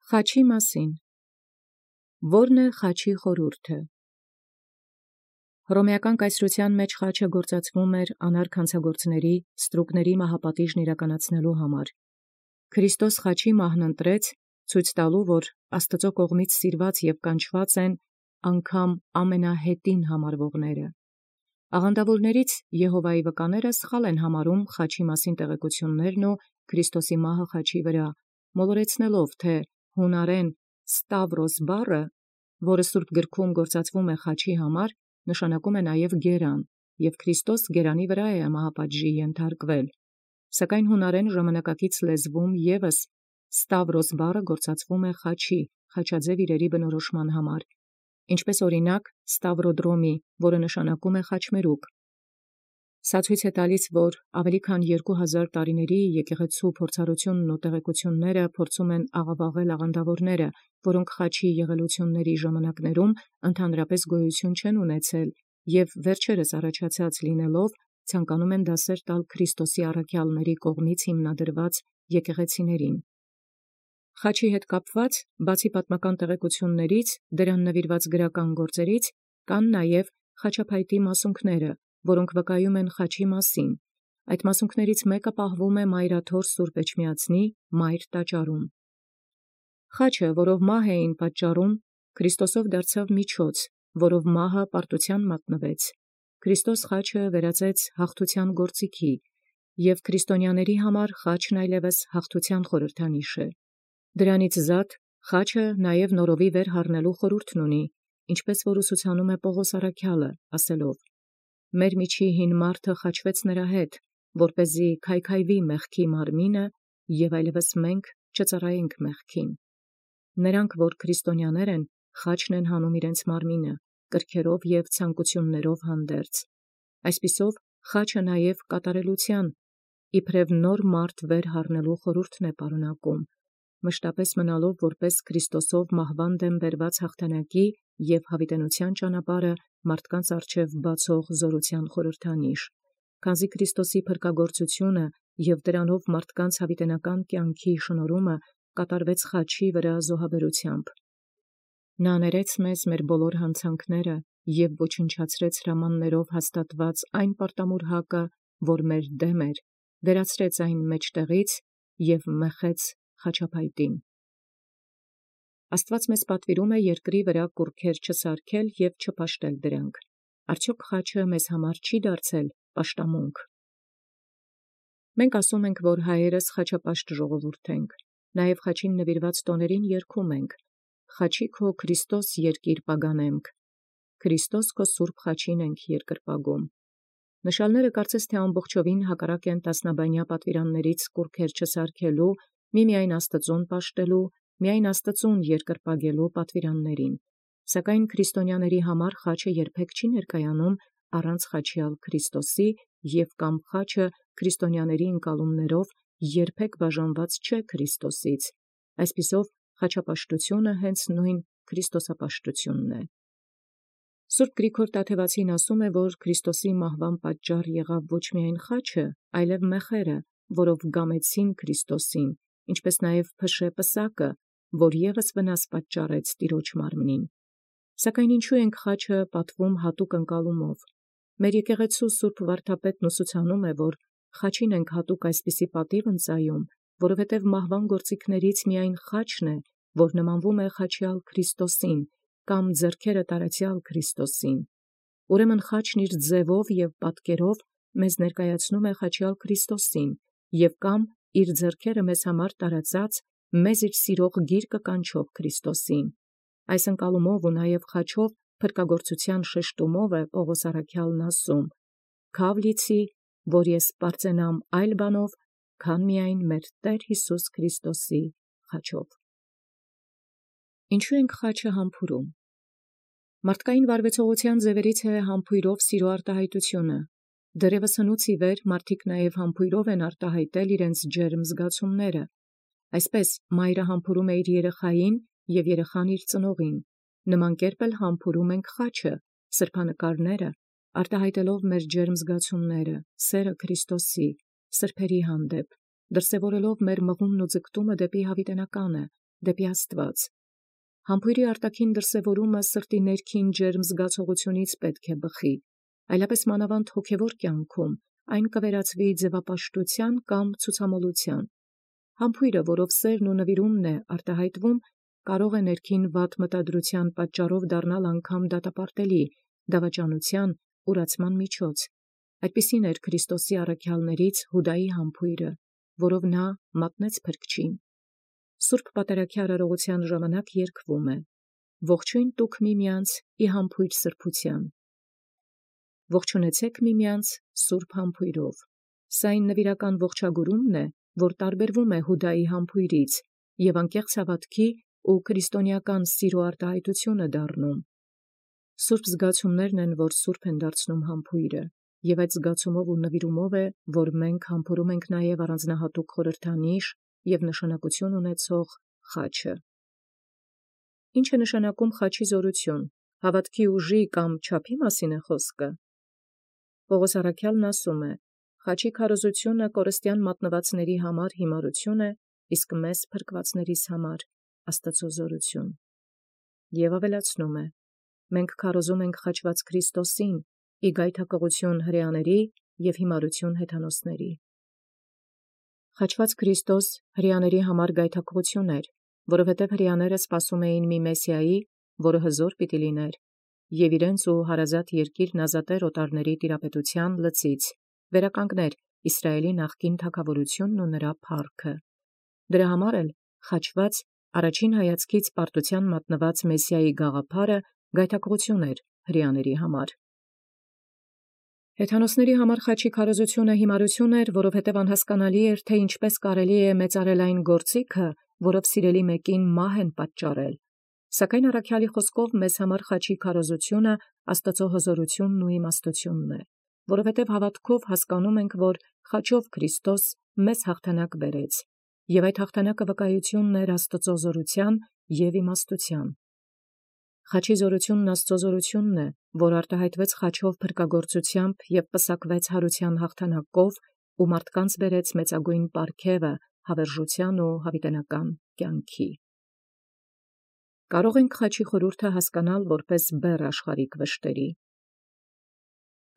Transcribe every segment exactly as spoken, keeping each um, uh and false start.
Խաչի մասին։ Ո՞րն է խաչի խորհուրդը։ Հռոմեական կայսրութեան մեջ խաչը գործածվում էր անարգ հանցագործների ստրուկների մահապատիժն իրականացնելու համար։ Քրիստոս խաչի մահն ընտրեց, ցույց տալու, որ Աստուծո կողմից սիրված և կանչված են անգամ ամենահետին համարվողները։ Աղանդավորներից Եհովայի վկաները սխալ են համարում խաչի մասին տեղեկություններն ու Քրիստոսի մահը խաչի վրա, մոլորեցնելով, թե հունարեն Ստավրոս բառը, որը Սուրբ գրքում գործածվում է խաչի համար, նշանակում է նաև գերան, և Քրիստոս գերանի վրա է մահապատժի ենթարկվել, սակայն հունարեն ժամանակակից լեզվում ևս Ստավրոս բառը գործածվում է խաչի, խաչաձև իրերի բնորոշման համար, ինչպես օրինակ Ստավրոդրոմի, որը նշանակում է խաչմերուկ։ Սա ցույց է տալիս, որ ավելի քան երկու հազար տարիների եկեղեցու փորձառությունն ու տեղեկությունները փորձում են աղավաղել աղանդավորները, որոնք խաչի եղելությունների ժամանակներում ընդհանրապես գոյություն չեն ունեցել և վերջերս առաջացած լինելով ցանկանում են դասեր տալ Քրիստոսի առաքյալների կողմից հիմնադրված եկեղեցիներին։ Խաչի հետ կապված, բացի պատմական տեղեկություններից, դրան նվիրված գրական գործերից, կան նաև խաչափայտի մասունքները, որոնք վկայում են խաչի մասին։ Այդ մասունքներից մեկը պահվում է Մայրաթոր Սուրբ Էջմիածնի Մայր տաճարում։ Խաչը, որով մահ էին պատճառում, Քրիստոսով դարձավ միջոց, որով մահը պարտութեան մատնվեց։ Քրիստոս խաչը վերածեց հաղթութեան գործիքի, և քրիստոնյաների համար խաչն այլևս հաղթութեան խորհրդանիշ է։ Դրանից զատ խաչը նաև նորովի վեր հառնելու խորհուրդն ունի, ինչպես որ ուսուցանում է Պողոս առաքյալը, ասելով. «Մեր միջի հին մարդը խաչվեց նրա հետ, որպեսզի քայքայվի մեղքի մարմինը, և այլևս մենք չծառայենք մեղքին»։ Նրանք, որ քրիստոնյաներ են, խաչն են հանում իրենց մարմինը, կրքերով և ցանկություններով հանդերձ։ Այսպիսով, խաչը նաև կատարելութեան, իբրև նոր մարդ վեր հառնելու խորհուրդն է պարունակում, մշտապես մնալով որպես Քրիստոսով մահվան դեմ բերված հաղթանակի և յաւիտենության ճանապարհը մարդկանց առջև բացող զորութեան խորհրդանիշ, քանզի Քրիստոսի փրկագործությունը և դրանով մարդկանց յաւիտենական կյանքի շնորհումը կատարվեց խաչի վրա զոհաբերութեամբ։ Նա ներեց մեզ մեր բոլոր հանցանքները և ոչնչացրեց հրամաններով հաստատված այն պարտամուրհակը, որ մեր դեմ էր, վերացրեց այն մեջտեղից և մեխեց խաչափայտին։ Աստուած մեզ պատվիրում է երկրի վրա կուռքեր չսարքել և չպաշտել դրանք։ Արդյոք խաչը մեզ համար չի դարձել պաշտամունք։ Մենք ասում ենք, որ հայերս խաչապաշտ ժողովուրդ ենք, նաև խաչին նվիրված տոներին երգում ենք. «Խաչի քո Քրիստոս երկիր պագանեմք, Քրիստոս քո սուրբ խաչին ենք երկրպագում»։ Նշանները կարծես թե ամբողջովին հակառակ են տասնաբանյա պատվիրաններից կուռքեր չսարքելու, միմիայն Աստծուն պաշտելու, միայն Աստծուն երկրպագելու պատվիրաններին։ Սակայն քրիստոնյաների համար խաչը երբեք չի ներկայանում առանց խաչյալ Քրիստոսի, և կամ խաչը քրիստոնյաների ընկալումներով երբեք բաժանված չէ Քրիստոսից։ Այսպիսով, խաչապաշտությունը հենց նույն քրիստոսապաշտությունն է։ Սուրբ Գրիգոր Տաթևացին ասում է, որ Քրիստոսի մահվան պատճառ եղավ ոչ միայն խաչը, այլև մեխերը, որով գամեցին Քրիստոսին, ինչպես նաև փշե պսակը, որ ևս վնաս պատճառեց տիրոջ մարմնին։ Սակայն ինչու ենք խաչը պատվում հատուկ ընկալումով։ Մեր եկեղեցու սուրբ վարդապետն ուսուցանում է, որ խաչին ենք հատուկ այսպիսի պատիւ ընծայում, որովհետև մահվան գործիքներից միայն խաչն է, որ նմանվում է խաչյալ Քրիստոսին, կամ ձեռքերը տարեցյալ Քրիստոսին։ Ուրեմն խաչն իր ձևով և պատկերով մեզ ներկայացնում է խաչյալ Քրիստոսին, և կամ իր ձեռքերը մեզ համար տարածած, մեզ իր սիրող գիրկը կանչող Քրիստոսին։ Այս ընկալումով ու նաև խաչով փրկագործութեան շեշտումով է Պողոս առաքյալն ասում. «Քաւ լիցի, որ ես պարծենամ այլ բանով, քան միայն մեր Տեր Յիսուս Քրիստոսի խաչով»։ Ինչու ենք խաչը համբուրում։ Մարդկային վարվեցողութեան ձևերից է համբույրով սիրո արտահայտությունը։ Դեռևս հնուց ի վեր մարդիկ նաև համբույրով են արտահայտել իրենց ջերմ զգացումները։ Այսպես մայրը համբուրում է իր երեխային և երեխան իր ծնողին։ Նման կերպ էլ համբուրում ենք խաչը, սրբանկարները, արտահայտելով մեր ջերմ զգացումները, սերը Քրիստոսի, սրբերի հանդեպ, դրսևորելով մեր մղումն ու ձգտումը դեպի յաւիտենականը, դեպի Աստուած։ Համբույրի արտաքին դրսևորումը սրտի ներքին ջերմ զգացողությունից պետք է բխի, այլապես մանավանդ հոգևոր կյանքում այն կվերածվի ձևապաշտության կամ ցուցամոլության։ Համբույրը, որով սերն ու նվիրումն է արտահայտվում, կարող է ներքին վատ մտադրության պատճառով դառնալ անգամ դատապարտելի, դավաճանության, ուրացման միջոց։ Այդպիսին էր Քրիստոսի առաքյալներից Հուդայի համբույրը, որով նա մատնեց փրկչին։ Սուրբ պատարագի արարողության ժամանակ երգվում է. «Ողջույն տուք միմյանց ի համբույր սրբության»։ Ողջունեցեք միմյանց սուրբ համբույրով։ Սա այն նվիրական ողջագուրումն է, որ տարբերվում է Հուդայի համբույրից և անկեղծ հավատքի ու քրիստոնեական սիրո արտահայտություն է դառնում։ Սուրբ զգացումներն են, որ սուրբ են դարձնում համբույրը, և այդ զգացումով ու նվիրումով է, որ մենք համբուրում ենք նաև առանձնահատուկ խորհրդանիշ և նշանակություն ունեցող խաչը։ Ինչ է նշանակում խաչի զորություն, հավատքի ուժի կամ չափի մասին է խոսքը։ Պողոս առաքյալն ասում է. «Խաչի քարոզությունը կորստյան մատնվածների համար հիմարություն է, իսկ մեզ փրկվածներիս համար Աստծո զորություն»։ Եվ ավելացնում է. «Մենք քարոզում ենք խաչված Քրիստոսին, ի գայթակղություն հրեաների և հիմարություն հեթանոսների»։ Խաչված Քրիստոս հրեաների համար գայթակղություն էր, որովհետև հրեաները սպասում էին մի Մեսիայի, որը հզոր պիտի լիներ, և իրենց ու հարազատ երկիրն ազատեր օտարների տիրապետության լծից, վերականգներ Իսրայելի նախկին թագավորությունն ու նրա փառքը։ Դրա համար էլ խաչված առաջին հայացքից պարտության մատնված Մեսիայի գաղափարը գայթակղություն էր հրեաների համար։ Հեթանոսների համար խաչի քարոզությունը հիմարություն էր, որովհետև անհասկանալի էր, թե ինչպես կարելի է մեծարել այն գործիքը, որով սիրելի մեկին մահ են պատճառել։ Սակայն առաքյալի խոսքով մեզ համար խաչի քարոզությունը Աստծո հզորությունն ու իմաստությունն է, որովհետև հավատքով հասկանում ենք, որ խաչով Քրիստոս մեզ հաղթանակ բերեց, և այդ հաղթանակը վկայությունն էր Աստծո զորության և իմաստության։ Խաչի զորությունն Աստծո զորությունն է, որ արտահայտվեց խաչով փրկագործությամբ և պսակվեց հարության հաղթանակով ու մարդկանց բերեց մեծագույն պարգևը հավերժության ու հավիտենական կյանքի։ Կարող ենք խաչի խորհուրդը հասկանալ որպես բեռ աշխարհիկ վշտերի։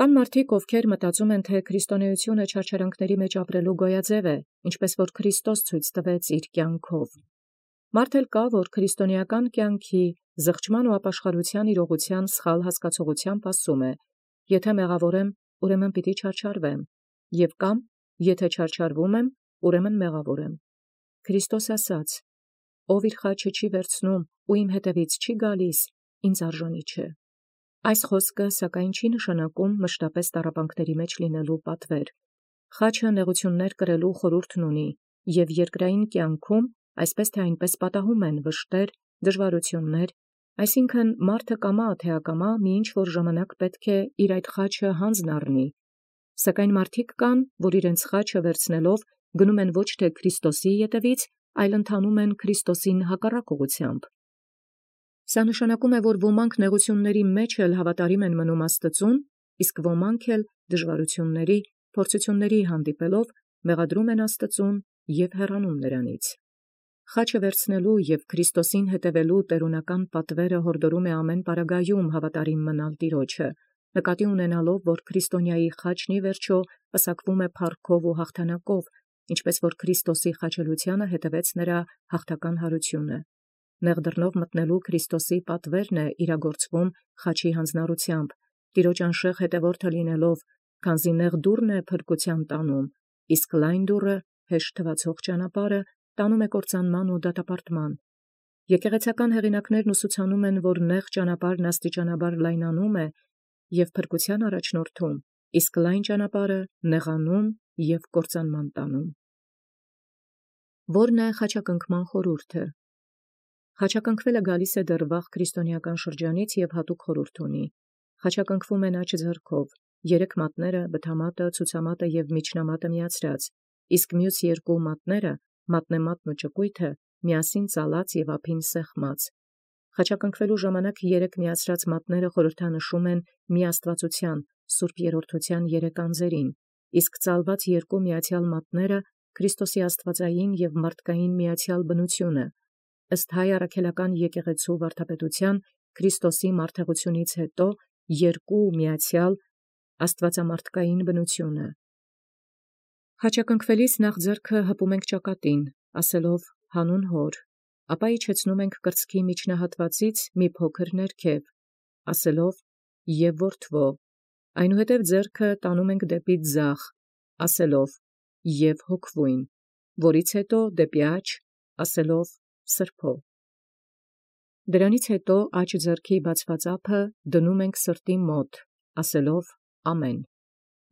Կան մարդիկ, ովքեր մտածում են, թե քրիստոնեությունը չարչարանքների մեջ ապրելու գոյաձև է, ինչպես որ Քրիստոս ցույց տվեց իր կյանքով։ Մարդ էլ կա, որ քրիստոնեական կյանքի զղջման ու ապաշխարության իրողության սխալ հասկացողությամբ ասում է. «Եթե մեղավոր եմ, ուրեմն պիտի չարչարվեմ, և կամ եթե չարչարվում եմ, ուրեմն մեղավոր եմ»։ Քրիստոս ասաց. «Ով իր խաչը չի վերցնում ու իմ հետևից չի գալիս, ինձ արժանի չէ»։ Այս խոսքը սակայն չի նշանակում մշտապես տառապանքների մեջ լինելու պատվեր։ Խաչը նեղություններ կրելու խորհուրդն ունի, և երկրային կյանքում այսպես թե այնպես պատահում են վշտեր, դժվարություններ, այսինքն մարդը կամա թե ակամա մի ինչ-որ ժամանակ պետք է իր այդ խաչը հանձն առնի։ Սակայն մարդիկ կան, որ իրենց խաչը վերցնելով գնում են ոչ թե Քրիստոսի ետևից, այլ ընթանում են Քրիստոսին հակառակ ուղղությամբ։ Սա նշանակում է, որ ոմանք նեղությունների մեջ էլ հավատարիմ են մնում Աստծուն, իսկ ոմանք էլ դժվարությունների, փորձությունների հանդիպելով մեղադրում են Աստծուն և հեռանում նրանից։ Խաչը վերցնելու և Քրիստոսին հետևելու տերունական պատվերը հորդորում է ամեն պարագայում հավատարիմ մնալ Տիրոջը, նկատի ունենալով, որ քրիստոնյայի խաչն ի վերջո պսակվում է փառքով ու հաղթանակով, ինչպես որ Քրիստոսի խաչելությանը հետևեց նրա հաղթական հարությունը։ Նեղ դռնով մտնելու Քրիստոսի պատվերն է իրագործվում խաչի հանձնառությամբ, Տիրոջ անշեղ հետևորդը լինելով, քանզի նեղ դուռն է փրկության տանում, իսկ լայն դուռը, հեշտ թվացող ճանապարհը, տանում է կործանման ու դատապարտման։ Եկեղեցական հեղինակներն ուսուցանում են, որ նեղ ճանապարհն աստիճանաբար լայնանում է և փրկության առաջնորդում, իսկ լայն ճանապարհը նեղանում և կործանման տանում։ Ո՞րն է խաչակնքման խորհուրդը։ Խաչակնքվելը գալիս է դեռ վաղ քրիստոնեական շրջանից և հատուկ խորհուրդ ունի։ Խաչակնքվում են աջ ձեռքով, երեք մատները, բթամատը, ցուցամատը և միջնամատը միացրած, իսկ մյուս երկու մատները, մատնեմատն ու ճկույթը, միասին ծալած և ափին սեղմած։ Խաչակնքվելու ժամանակ երեք միացրած մատները խորհրդանշում են միաստվածության, Սուրբ Երրորդության երեք անձերին, իսկ ծալված երկու միացյալ մատները Քրիստոսի աստվածային և մարդկային միացյալ բնությունը, ըստ հայ առաքելական եկեղեցու վարդապետության Քրիստոսի մարդեղությունից հետո երկու միացյալ աստվածամարդկային բնությունը։ Խաչակնքվելիս նախ ձեռքը հպում ենք ճակատին, ասելով հանուն հոր, ապա իջեցնում ենք կրծքի միջնահատվածից մի փոքր ներքև, ասելով և որդվո, այնուհետև ձեռքը տանում ենք դեպի ձախ, ասելով և հոգվույն, որից հետո դեպի աջ, ասելով սրբո։ Դրանից հետո աջ ձեռքի բացված ափը դնում ենք սրտի մոտ, ասելով ամեն,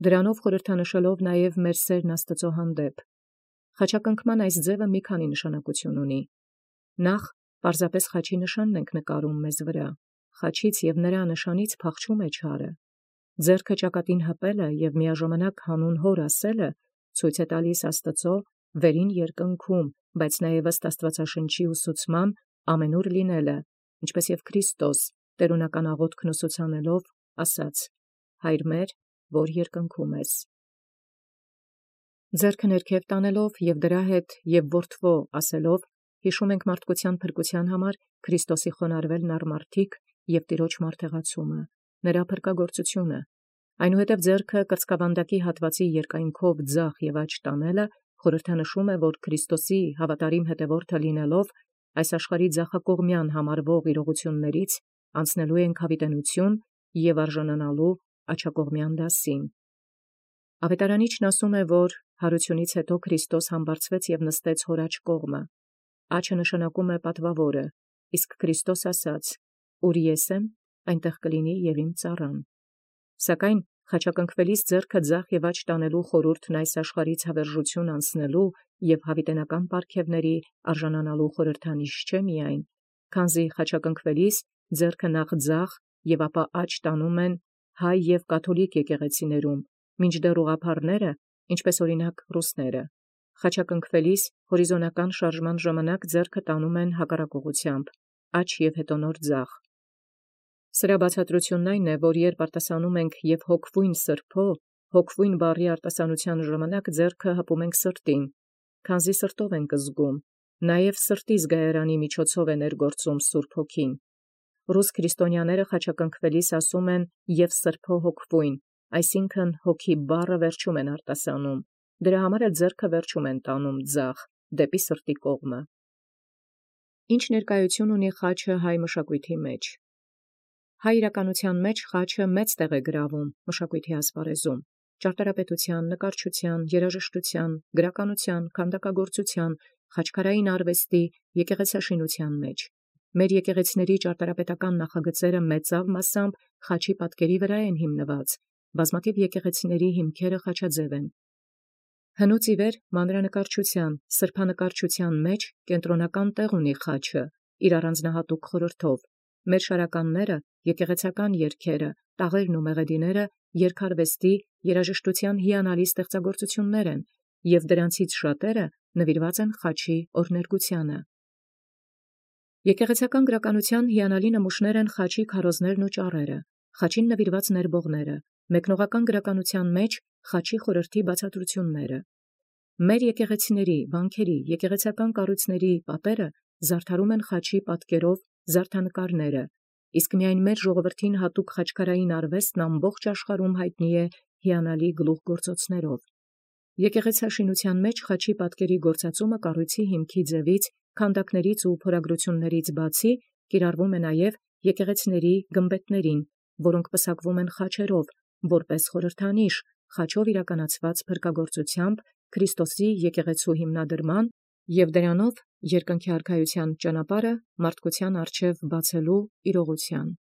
դրանով խորհրդանշելով նաև մեր սերն Աստծո հանդեպ։ Խաչակնքման այս ձևը մի քանի նշանակություն ունի։ Նախ պարզապես խաչի նշանն ենք նկարում մեզ վրա, խաչից և նրա նշանից փախչում է չարը։ Ձեռքը ճակատին հպելը և միաժամանակ հանուն հոր ասելը ցույց է տալիս Աստծո վերին երկնքում, բայց նաև ըստ Աստվածաշնչի ուսուցման ամենուր լինելը, ինչպես և Քրիստոս տերունական աղոթքն ուսուցանելով ասաց. «Հայր մեր, որ երկնքում ես»։ Ձեռքը ներքև տանելով և դրա հետ և որդվո ասելով հիշում ենք մարդկության փրկության համար Քրիստոսի խոնարհվելն առ մարդիկ և տիրոջ մարտեղացումը, նրա փրկագործությունը, այնուհետև ձեռքը կրծքավանդակի հատվածի երկայնքով ձախ և աջ տանելը խորհրդանշում է, որ Քրիստոսի հավատարիմ հետևորդը լինելով այս աշխարհի ձախակողմյան համարվող իրողություններից անցնելու ենք հավիտենություն և արժանանալու աջակողմյան դասին։ Ավետարանիչն ասում է, որ հարությունից հետո Քրիստոս համբարձվեց և նստեց հոր աջ կողմը։ Աջը նշանակում է պատվավորը, իսկ Քրիստոս ասաց. «Ուր ես եմ, այնտեղ կլինի և իմ ծառան»։ Սակայն խաչակնքվելիս ձեռքը ձախ և աջ տանելու խորհուրդն այս աշխարհից հավերժություն անցնելու և հավիտենական պարգևների արժանանալու խորհրդանիշ չէ միայն, քանզի խաչակնքվելիս ձեռքը նախ ձախ և ապա աջ տանում են հայ և կաթոլիկ եկեղեցիներում, մինչդեռ ուղղափառները, ինչպես օրինակ ռուսները, խաչակնքվելիս հորիզոնական շարժման ժամանակ ձեռքը տանում են հակառակ ուղղությամբ, աջ և հետո նոր ձախ։ Սրա բացատրությունն այն է, որ երբ արտասանում ենք և հոգվույն սրբո, հոգվույն բառի արտասանության ժամանակ ձեռքը հպում ենք սրտին, քանզի սրտով ենք զգում, նաև սրտի զգայարանի միջոցով է ներգործում Սուրբ Հոգին։ Ռուս քրիստոնյաները խաչակնքվելիս ասում են և սրբո հոգվույն, այսինքն հոգի բառը վերջում են արտասանում, դրա համար էլ ձեռքը վերջում են տանում ձախ, դեպի սրտի կողմը։ Ինչ ներկայություն ունի խաչը հայ մշակույթի մեջ։ Հայ իրականության մեջ խաչը մեծ տեղ է գրավում մշակույթի ասպարեզում, ճարտարապետության, նկարչության, երաժշտության, գրականության, քանդակագործության, խաչքարային արվեստի, եկեղեցաշինության մեջ։ Մեր եկեղեցիների ճարտարապետական նախագծերը մեծավ մասամբ խաչի պատկերի վրա են հիմնված, բազմաթիվ եկեղեցիների հիմքերը խաչաձև են։ Հնուց ի վեր մանրանկարչության, սրբանկարչության մեջ կենտրոնական տեղ ունի խաչը իր առանձնահատուկ խորհրդով։ Մեր շարականները, եկեղեցական երգերը, տաղերն ու մեղեդիները երգարվեստի, երաժշտության հիանալի ստեղծագործություններ են, և դրանցից շատերը նվիրված են խաչի օրհներգությանը։ Եկեղեցական գրականության հիանալի նմուշներ են խաչի քարոզներն ու ճառերը, խաչին նվիրված ներբողները, մեկնողական գրականության մեջ խաչի խորհրդի բացատրությունները։ Մեր եկեղեցիների, վանքերի, եկեղեցական կառույցների պատերը զարդարում են խաչի պատկերով զարդանկարները, իսկ միայն մեր ժողովրդին հատուկ խաչքարային արվեստն ամբողջ աշխարհում հայտնի է հիանալի գլուխգործոցներով։ Եկեղեցաշինության մեջ խաչի պատկերի գործածումը կառույցի հիմքի ձևից, քանդակներից ու փորագրություններից բացի կիրառվում է նաև եկեղեցիների գմբեթներին, որոնք պսակվում են խաչերով, որպես խորհրդանիշ խաչով իրականացված փրկագործությամբ Քրիստոսի եկեղեցու հիմնադրման և դրանով երկնքի արքայության ճանապարհը մարդկության առջև բացելու իրողության։